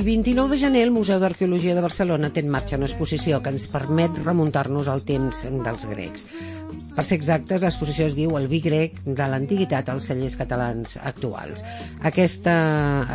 El 29 de gener el Museu d'Arqueologia de Barcelona té en marxa una exposició que ens permet remuntar-nos al temps dels grecs. Per ser exactes, l'exposició es diu El vi grec de l'antiguitat als cellers catalans actuals. Aquesta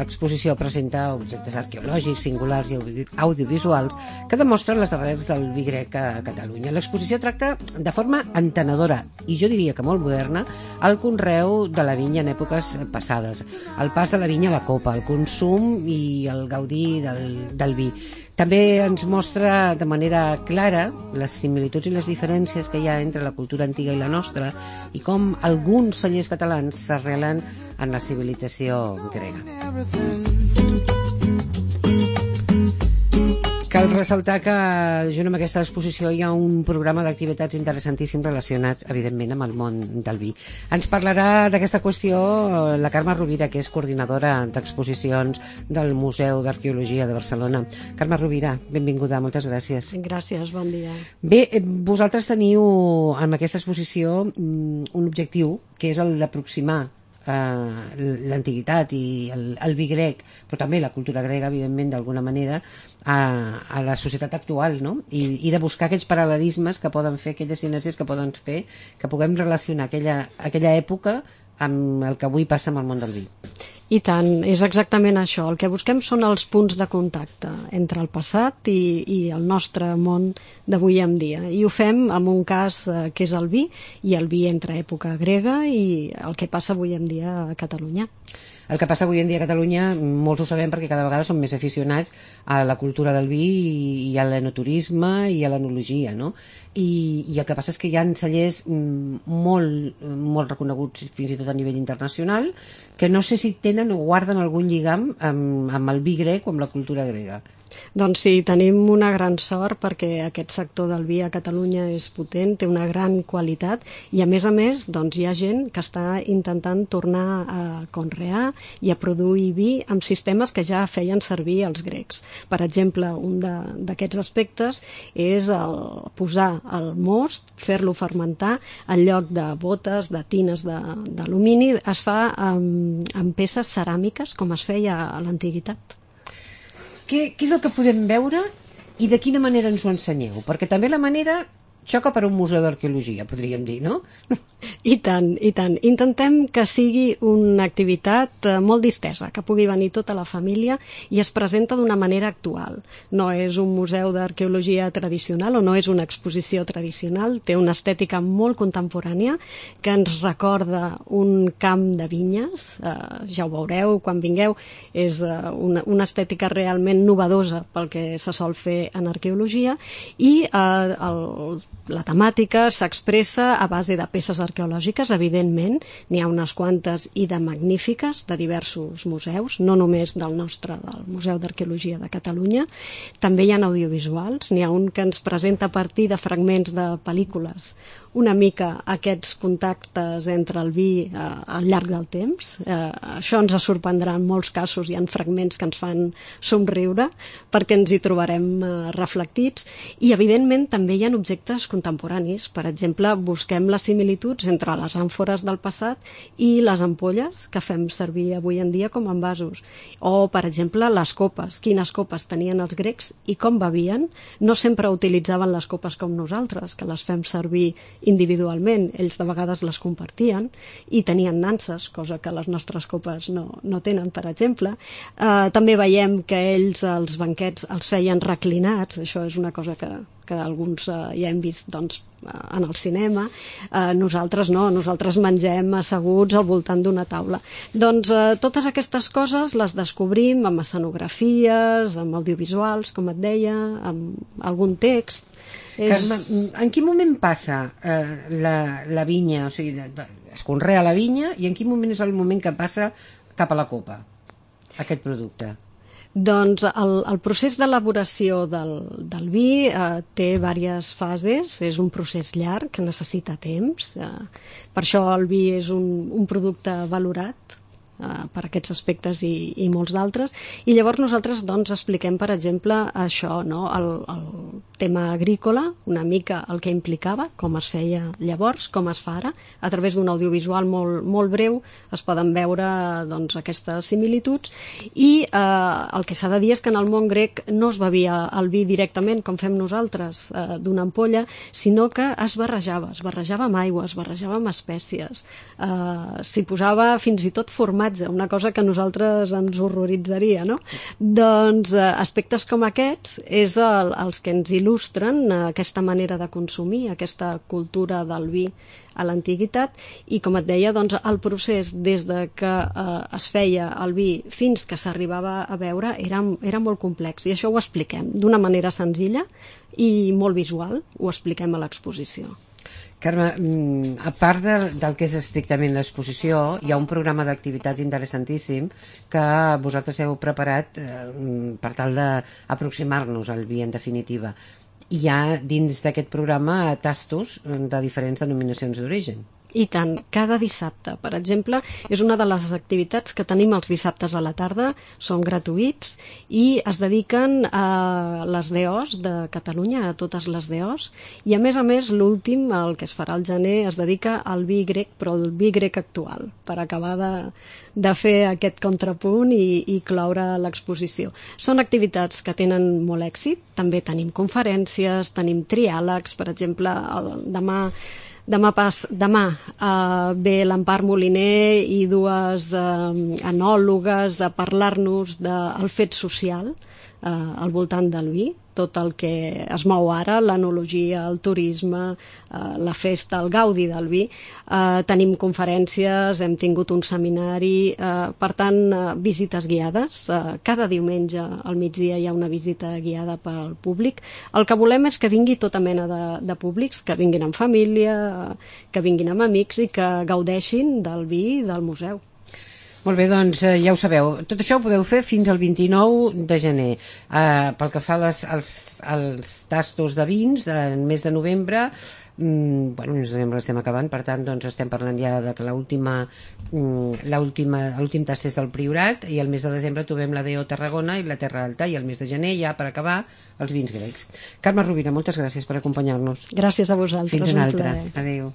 exposició presenta objectes arqueològics, singulars i audiovisuals que demostren les arrels del vi grec a Catalunya. L'exposició tracta de forma entenedora, i jo diria que molt moderna, el conreu de la vinya en èpoques passades, el pas de la vinya a la copa, el consum i el gaudir del vi. També ens mostra de manera clara les similituds i les diferències que hi ha entre la cultura antiga i la nostra i com alguns cellers catalans s'arrelen en la civilització grega. Cal ressaltar que junt amb aquesta exposició hi ha un programa d'activitats interessantíssims relacionats, evidentment, amb el món del vi. Ens parlarà d'aquesta qüestió la Carme Rovira, que és coordinadora d'exposicions del Museu d'Arqueologia de Barcelona. Carme Rovira, benvinguda, moltes gràcies. Gràcies, bon dia. Bé, vosaltres teniu amb aquesta exposició un objectiu, que és el d'aproximar l'antiguitat i el vi grec, però també la cultura grega, evidentment, d'alguna manera, a la societat actual, no? I de buscar aquells paral·lelismes que poden fer, aquelles sinergies que poden fer que puguem relacionar aquella època amb el que avui passa amb el món del vi. I tant, és exactament això. El que busquem són els punts de contacte entre el passat i el nostre món d'avui en dia. I ho fem amb un cas que és el vi, i el vi entre època grega i el que passa avui en dia a Catalunya. El que passa avui en dia a Catalunya, molts ho sabem perquè cada vegada som més aficionats a la cultura del vi i a l'enoturisme i a l'enologia, no? I el que passa és que hi ha cellers molt reconeguts fins i tot a nivell internacional que no sé si tenen o guarden algun lligam amb el vi grec o amb la cultura grega. Doncs sí, tenim una gran sort perquè aquest sector del vi a Catalunya és potent, té una gran qualitat i a més doncs, hi ha gent que està intentant tornar a conrear i a produir vi amb sistemes que ja feien servir els grecs. Per exemple, un d'aquests aspectes és posar el most, fer-lo fermentar en lloc de botes, de tines d'alumini, es fa amb peces ceràmiques com es feia a l'antiguitat. Què és el que podem veure i de quina manera ens ho ensenyeu? Perquè també la manera xoca per un museu d'arqueologia, podríem dir, no? I tant, i tant. Intentem que sigui una activitat molt distesa, que pugui venir tota la família i es presenta d'una manera actual. No és un museu d'arqueologia tradicional o no és una exposició tradicional, té una estètica molt contemporània que ens recorda un camp de vinyes, ja ho veureu quan vingueu, és una estètica realment novedosa pel que se sol fer en arqueologia i la temàtica s'expressa a base de peces arqueològiques, evidentment, n'hi ha unes quantes i de magnífiques de diversos museus, no només del Museu d'Arqueologia de Catalunya. També hi ha audiovisuals, n'hi ha un que ens presenta a partir de fragments de pel·lícules una mica aquests contactes entre el vi al llarg del temps. Això ens sorprendrà en molts casos, hi ha fragments que ens fan somriure perquè ens hi trobarem reflectits i evidentment també hi ha objectes contemporanis. Per exemple, busquem les similituds entre les àmfores del passat i les ampolles que fem servir avui en dia com a envasos. O, per exemple, les copes. Quines copes tenien els grecs i com bevien? No sempre utilitzaven les copes com nosaltres, que les fem servir individualment, ells de vegades les compartien i tenien nanses, cosa que les nostres copes no tenen, per exemple. També veiem que ells els banquets els feien reclinats, això és una cosa que alguns ja hem vist doncs, en el cinema. Nosaltres no, nosaltres mengem asseguts al voltant d'una taula. Doncs totes aquestes coses les descobrim amb escenografies, amb audiovisuals, com et deia, amb algun text. Carme, en quin moment passa la vinya, o sigui, es conrea la vinya, i en quin moment és el moment que passa cap a la copa, aquest producte? Doncs el procés d'elaboració del vi té diverses fases, és un procés llarg que necessita temps, per això el vi és un producte valorat per aquests aspectes i molts d'altres, i llavors nosaltres doncs expliquem, per exemple, això, no? tema agrícola, una mica el que implicava, com es feia llavors, com es fa ara. A través d'un audiovisual molt breu es poden veure doncs, aquestes similituds i el que s'ha de dir és que en el món grec no es bevia el vi directament, com fem nosaltres, d'una ampolla, sinó que es barrejava amb aigua, es barrejava amb espècies, s'hi posava fins i tot formatge, una cosa que a nosaltres ens horroritzaria, no? Doncs aspectes com aquests és els que ens il·lustren aquesta manera de consumir, aquesta cultura del vi a l'antiguitat i, com et deia, doncs, el procés des de que es feia el vi fins que s'arribava a beure era molt complex i això ho expliquem d'una manera senzilla i molt visual, ho expliquem a l'exposició. Carme, a part del que és estrictament l'exposició, hi ha un programa d'activitats interessantíssim que vosaltres heu preparat per tal d'aproximar-nos al vi, en definitiva. Hi ha dins d'aquest programa tastos de diferents denominacions d'origen. I tant, cada dissabte, per exemple, és una de les activitats que tenim els dissabtes a la tarda, són gratuïts i es dediquen a les DOs de Catalunya, a totes les DOs, i a més, l'últim, el que es farà al gener, es dedica al vi grec, però el vi grec actual, per acabar de fer aquest contrapunt i cloure l'exposició. Són activitats que tenen molt èxit, també tenim conferències, tenim triàlegs, per exemple, Demà ve l'Empar Moliner i dues enòlogues a parlar-nos del fet social al voltant del vi, tot el que es mou ara, l'enologia, el turisme, la festa, el gaudi del vi. Tenim conferències, hem tingut un seminari, per tant, visites guiades. Cada diumenge al migdia hi ha una visita guiada per al públic. El que volem és que vingui tota mena de públics, que vinguin amb família, que vinguin amb amics i que gaudeixin del vi i del museu. Molt bé, doncs ja ho sabeu. Tot això ho podeu fer fins al 29 de gener. Pel que fa als tastos de vins, del mes de novembre, el mes de novembre l'estem acabant, per tant doncs estem parlant ja de que l'últim tast és del Priorat i el mes de desembre trobem la DO Tarragona i la Terra Alta i el mes de gener ja per acabar els vins grecs. Carme Rovira, moltes gràcies per acompanyar-nos. Gràcies a vosaltres. Fins una altra. Adéu.